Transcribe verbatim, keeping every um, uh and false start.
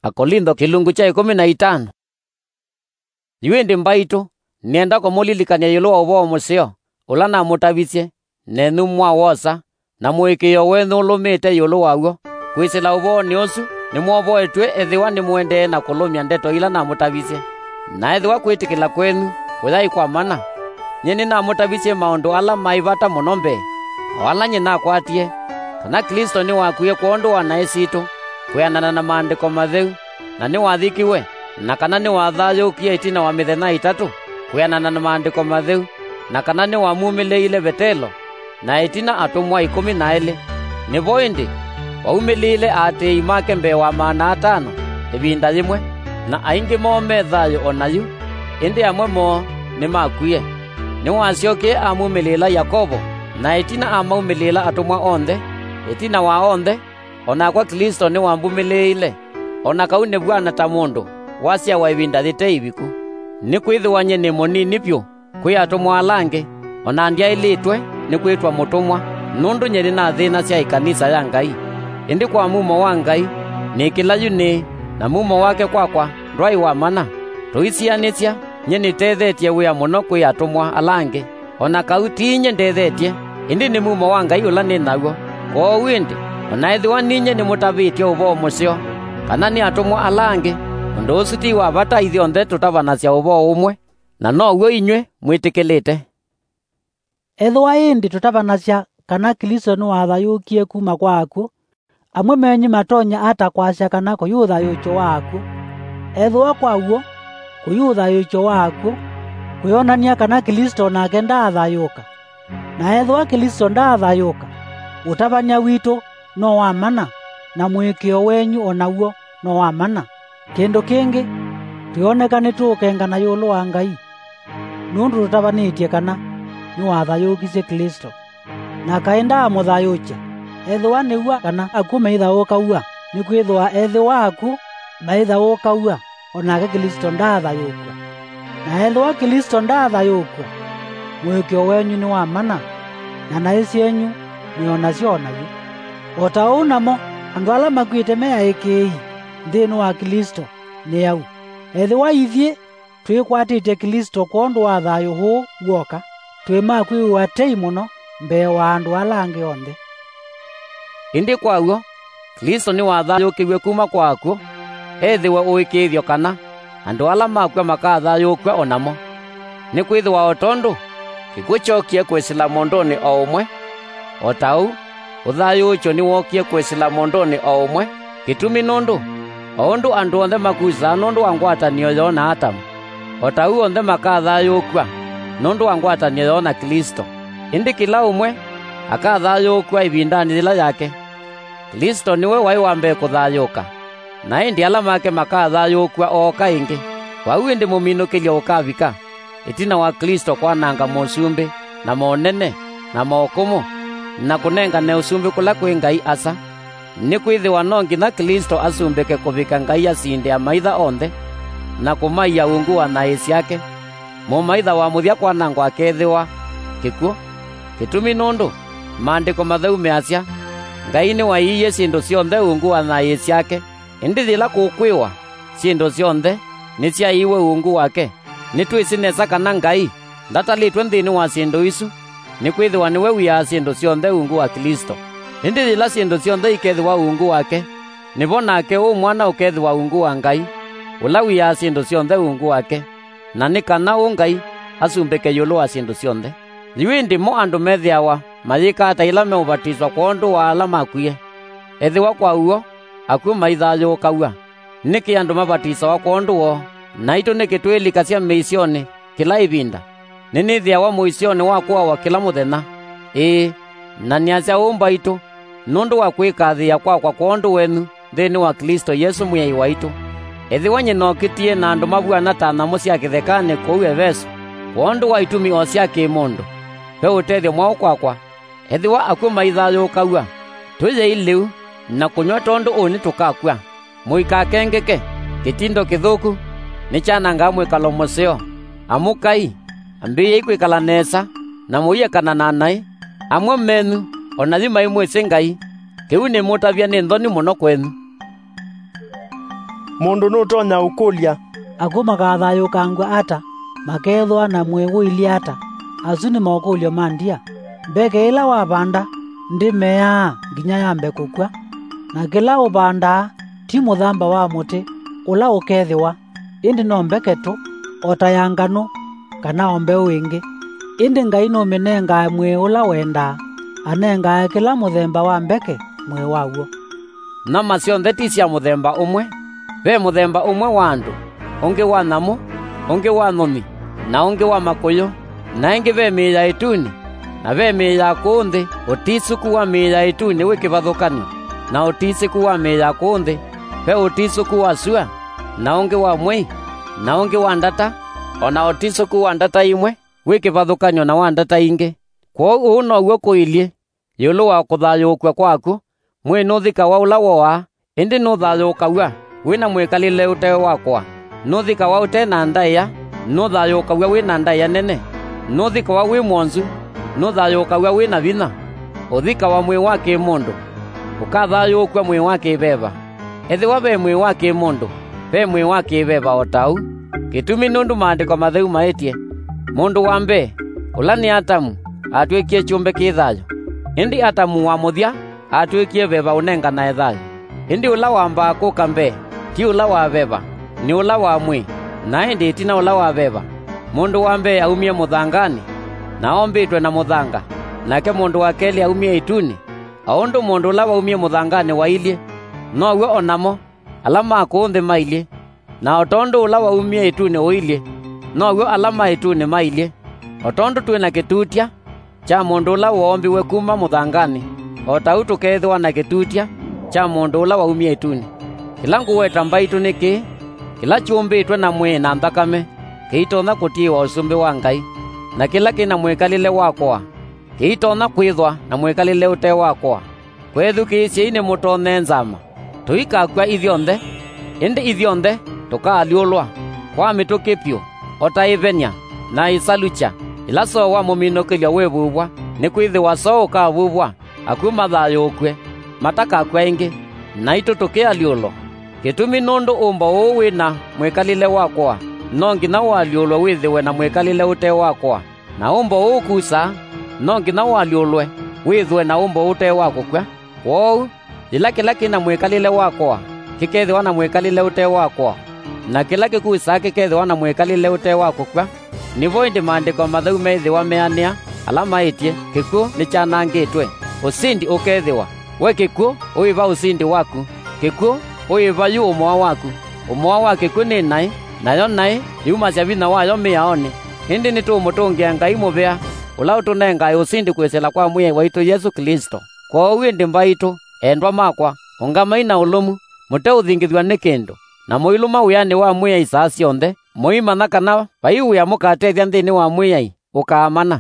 Akolintho kĩlungu kya ĩkũmi na itano. Yu ĩndĩ mbaitũ, nĩenda kũmũlilikany'a ĩũlũ wa ũvoo mũseo, ũla namũtavisye, nenyu mwawosa, na mũĩkĩĩo wenyu ũlũmĩte ĩũlũ waw'o. Kwĩsĩla ũvoonĩ ũsu, nĩmwovoetw'e ethĩwa nĩmũendee na kũlũmya ndeto ila namũtavisye. Na ethĩwa kwĩtĩkĩla kwenyu kũyaĩ kwa mana, nyie nĩnamũtavisye maũndũ ala maĩ vata mũno mbee, o ala nyie nakwatie, kana Klĩsto nĩwakwie kwondũ wa naĩ sitũ, kwĩanana na Maandĩko Matheu, na nĩwathikiwe, na kana nĩwathayũũkie ĩtina wa mĩthenya ĩtatũ, kwĩanana na Maandĩko Matheu, na kana nĩwamumĩlĩĩile Vetelo, na ĩtina atũmwa ĩkũmi na elĩ. Nĩvo ĩndĩ waumĩlĩĩile aatĩĩi make mbee wa maana atano ĩvinda yĩmwe, na aingĩ moo me thayũ o na yu, ĩndĩ amwe moo nĩmakwie. Nĩwasyokie amumĩlĩĩla Yakovo, na ĩtina amaumĩlĩĩla atũmwa onthe. Ĩtina wa onthe, o nakwa Klĩsto nĩwambumĩlĩĩile, o na kau nĩvw'ana ta mũndũ wasyawa ĩvinda yĩte ĩviku. Nĩkwĩthĩwa nyie nĩ mũnini vyũ kwĩ atũmwa ala angĩ, o na ndyaĩlĩtwe nĩ kwĩtwa mũtũmwa, nũndũ nyie nĩnathĩnasya ĩkanisa ya Ngai. Ĩndĩ kwa mumo wa Ngai, nĩkĩla yu nĩĩ, na mumo wake kwakwa ndwaĩ wa mana. Tũisianĩsya, nyie nĩtethetye wĩa mũno kwĩ atũmwa ala angĩ, o na kau ti inyie ndethetye, ĩndĩ nĩ mumo wa Ngai ũla nĩ naw'o. Kwoou ĩndĩ, o na ethĩwa ninyie nĩmũtavĩtye ũvoo mũseo, kana nĩ atũmwa ala angĩ, ũndũ ũsu ti wa vata, ithyonthe tũtavanasya ũvoo ũmwe, na now'o inyw'ĩ mwĩtĩkĩlĩte. Ethĩwa ĩndĩ tũtavanasya kana Klĩsto nĩwathayũũkie kuma kwa akw'ũ, amwe menyu matonya ata kwasya kana kũyĩ ũthayũũkyo wa akw'ũ? Ethĩwa kwa w'o kũyĩ ũthayũũkyo wa akw'ũ, kũyonany'a kana Klĩsto o nake ndaathayũũka. Na ethĩwa Klĩsto ndaathayũũka, ũtavany'a witũ no wa mana, na mũĩkĩĩo wenyu o naw'o no wa mana. Kĩndũ kĩngĩ, twĩoneka nĩtũũkengana ĩũlũ wa Ngai, nũndũ tũtavanĩtye kana nĩwathayũũkisye Klĩsto. Na kaĩ ndaamũthayũũkya? Ethĩwa nĩw'a kana akw'ũ maithaũũkaw'a, nĩkwĩthĩwa ethĩwa akw'ũ maithaũũkaw'a, o nake Klĩsto ndaathayũũkw'a. Na ethĩwa Klĩsto ndaathayũũkw'a, mũĩkĩĩo wenyu nĩ wa mana, na naĩ syenyu mwĩ o nasyo o na yu. O ta ũu namo, andũ ala makw'ĩte me aĩkĩĩi nthĩnĩ wa Klĩsto nĩ au? Ethĩwa ithyĩ twĩkwatĩtye Klĩsto kwondũ wa thayũ ũũ w'oka, twĩ ma kwĩw'a tei mũno mbee wa andũ ala angĩ onthe. Ĩndĩ kwa w'o, Klĩsto nĩwathayũũkĩw'e kuma kwa akw'ũ, ethĩwe ũĩkĩĩthyo kana andũ ala makw'a makathayũũkw'a o namo. Nĩkwĩthĩwa o tondũ kĩkw'ũ kyookie kwĩsĩla mũndũnĩ o ũmwe, o ta ũu ũthayũũkyo nĩwookie kwĩsĩla mũndũnĩ o ũmwe. Kĩtumi nũndũ, o ũndũ andũ onthe makusaa nũndũ wa ngwatanĩo yoo na Atamu, o ta ũu onthe makathayũũkw'a nũndũ wa ngwatanĩo yoo na Klĩsto. Ĩndĩ kĩla ũmwe akathayũũkw'a ĩvindanĩ yĩla yake. Klĩsto nĩwe waĩ wa mbee kũthayũũka, na ĩndĩ ala make makathayũũkw'a ooka ĩngĩ. Kwa ũu ĩndĩ mũminũkĩlyo ũkavika, ĩtina wa Klĩsto kwananga mosumbĩ, na monene, na mokũmũ, na kũnengane ũsumbĩ kũla kwĩ Ngai Asa. Nĩkwĩthĩwa no nginya Klĩsto asumbĩke kũvika Ngai asinde amaitha onthe, na kũmaia ungu wa naĩ syake. Mũmaitha wa mũthya kwanangwa akeethĩwa kĩkw'ũ. Kĩtumi nũndũ Maandĩko Matheu measya, Ngai nĩwaiie syĩndũ syonthe ungu wa naĩ syake. Ĩndĩ yĩla kũkwĩwa syĩndũ syonthe nĩsyaiiwe ungu wake, nĩtwĩsĩ nesa kana Ngai ndatalĩtwe nthĩnĩ wa syĩndũ isu, nĩkwĩthĩwa nĩwe wiaa syĩndũ syonthe ungu wa Klĩsto. Ĩndĩ yĩla syĩndũ syonthe ikethĩwa ungu wake, nĩvo nake ũ mwana ũkethĩwa ungu wa Ngai, ũla wiaa syĩndũ syonthe ungu wake, na nĩ kana ũ Ngai asumbĩke ĩũlũ wa syĩndũ syonthe. Yu ĩndĩ mo andũ methĩawa mayĩka ata yĩla meũvatiswa kwondũ wa ala makwie? Ethĩwa kwa w'o akw'ũ maithayũũkaw'a, nĩkĩ andũ mavatisawa kwondũ woo? Naitũ nĩkĩ twĩlikasya mĩisyonĩ kĩla ĩvinda? Nĩnĩthĩawa mũisyonĩ wa kũawa kĩla mũthenya. Ĩĩ, na nĩasya ũu mbaitũ, nũndũ wa kwĩkathĩĩa kwakwa kwondũ wenyu nthĩnĩ wa Klĩsto Yesũ Mwĩai waitũ. Ethĩwa nyie nokĩtie na andũ mavw'ana ta nyamũ sya kĩthekanĩ kũu Eveso, kwondũ wa itumi o sya kĩ-mũndũ, ve ũtethyo mwaũ kwakwa? Ethĩwa akw'ũ maithayũũkaw'a, tũyei lĩu na kũnyw'a tondũ ũnĩ tũkakw'a. Mũikakengeke, kĩtindo kĩthũku nĩkyanangaa mwĩkalo mũseo. Amũkai, ambĩĩai kwĩkala nesa, na mũiekana na naĩ. Amwe menyu o na yu maimwĩsĩ Ngai. Kĩu nĩmũtavya nĩ nthoni mũno kwenyu. Mũndũ nũtonya ũkũlya, "Akw'ũ makathayũũkangw'a ata? Makeethĩwa na mwĩĩ ũilyĩ ata?" Asu nĩ mokũlyo ma ndia. Mbeke ĩla wavanda ndĩmeaa nginya yambe kũkw'a. Na kĩla ũvandaa ti mũthamba wa mũtĩ ũla ũkethĩwa, ĩndĩ no mbeke tũ, o ta ya nganũ, kana o mbeũ ĩngĩ. Ĩndĩ Ngai nũmĩnengae mwĩĩ ũla wendaa, anengae kĩla mũthemba wa mbeke mwĩĩ waw'o. Nyama syonthe ti sya mũthemba ũmwe. Ve mũthemba ũmwe wa andũ, ũngĩ wa nyamũ, ũngĩ wa nyũnyi, na ũngĩ wa makũyũ, na ĩngĩ ve mĩĩ ya ĩtunĩ, na ve mĩĩ ya kũũ nthĩ. Ũtisũku wa mĩĩ ya ĩtunĩ wĩ kĩvathũkany'o na ũtisũku wa mĩĩ ya kũũ nthĩ. Ve ũtisũku wa sua, na ũngĩ wa mwei, na ũngĩ wa ndata, o na ũtisũku wa ndata imwe wĩ kĩvathũkany'o na wa ndata ingĩ. Kwoou ũu now'o kũilyĩ ĩũlũ wa kũthayũũkw'a kwa akw'ũ. Mwĩĩ nũthikawa ũla woaa, ĩndĩ nũthayũũkaw'a wĩ na mwĩkalĩle ũte wa kũa. Nũthikawa ũte na ndaĩa, nũthayũũkaw'a wĩ na ndaĩa nene. Nũthikawa wĩ mwonzu, nũthayũũkaw'a wĩ na vinya. Ũthikawa mwĩĩ wa kĩ-mũndũ, ũkathayũũkw'a mwĩĩ wa kĩ-veva. Ethĩwa ve mwĩĩ wa kĩ-mũndũ, ve mwĩĩ wa kĩ-veva o ta ũu. Kĩtumi nũndũ Maandĩko Matheu maĩtye, "Mũndũ wa mbee, ũla nĩ Atamu, atw'ĩkie kyũmbe kĩ thayũ." Ĩndĩ Atamu wa mũthya atw'ĩkie veva ũnenganae thayũ. Ĩndĩ ũla wambaa kũka mbee ti ũla wa veva, nĩ ũla wa mwĩĩ, na ĩndĩ ĩtina ũla wa veva. Mũndũ wa mbee aumie mũthanganĩ, na ombĩtwe na mũthanga, nake mũndũ wa kelĩ aumie ĩtunĩ. O ũndũ mũndũ ũla waumie mũthanganĩ wailyĩ, now'o o namo ala ma kũũ nthĩ mailyĩ, na o tondũ ũla waumie ĩtunĩ ũilyĩ, now'o ala ma ĩtunĩ mailyĩ. O tondũ twĩ na kĩtutya kya mũndũ ũla woombiwe kuma mũthanganĩ, o ta ũu tũkeethĩwa na kĩtutya kya mũndũ ũla waumie ĩtunĩ. Kĩla ngũweta mbaitũ nĩ kĩĩ: kĩla kyũmbĩtwe na mwĩĩ na nthakame kĩitonya kũtiĩwa ũsumbĩ wa Ngai, na kĩla kĩ na mwĩkalĩle wa kũa kĩitonya kwĩthwa na mwĩkalĩle ũte wa kũa. Kwethukĩĩsyei nĩmũtonye nzama. Tũikakw'a ithyonthe, ĩndĩ ithyonthe tũkaalyũlwa, kwa mĩtũkĩ vyũ, o ta ĩvenya, na ĩsalukya, ĩla soo wa mũminũkĩlyo wĩvuvwa, nĩkwĩthĩwa soo ũkavuvwa, akw'ũ mathayũũkw'e, matakakw'a ĩngĩ, naitũ tũkĩalyũlwa. Kĩtumi nũndũ ũmbo ũũ wĩ na mwĩkalĩle wa kũa, no nginya ũalyũlwe wĩthĩwe na mwĩkalĩle ũte wa kũa. Na ũmbo ũũ ũkusaa, no nginya ũalyũlwe wĩthwe na ũmbo ũte wa kũkw'a. Kwoou, yĩla kĩla kĩ na mwĩkalĩle wa kũa kĩkethĩwa na mwĩkalĩle ũte wa kũa, na kĩla kĩkusaa kĩkethĩwa na mwĩkalĩle ũte wa kũkw'a, nĩvo ĩndĩ Maandĩko Matheu methĩwa meanĩa ala maĩtye, "Kĩkw'ũ nĩkyanangĩtwe, ũsindi ũkethĩwa." We kĩkw'ũ, ũĩ va ũsindi waku? Kĩkw'ũ, ũĩ va yu ũmoa waku? Ũmoa wa kĩkw'ũ nĩ naĩ, nayo naĩ yumasya vinya wayo mĩaonĩ. Ĩndĩ nĩtũũmũtũngĩa Ngai mũvea, ũla ũtũnengae ũsindi kwĩsĩla kwa Mwĩai waitũ Yesũ Klĩsto. Kwoou ĩndĩ mbaitũ, endwa makwa, ũngamai na ũlũmu, mũteũthingĩthw'a nĩ kĩndũ, na mũilũma wĩanĩ wa Mwĩai saa syonthe, mũimanya kana vai wĩa mũkatethya nthĩnĩ wa Mwĩai ũkaamana.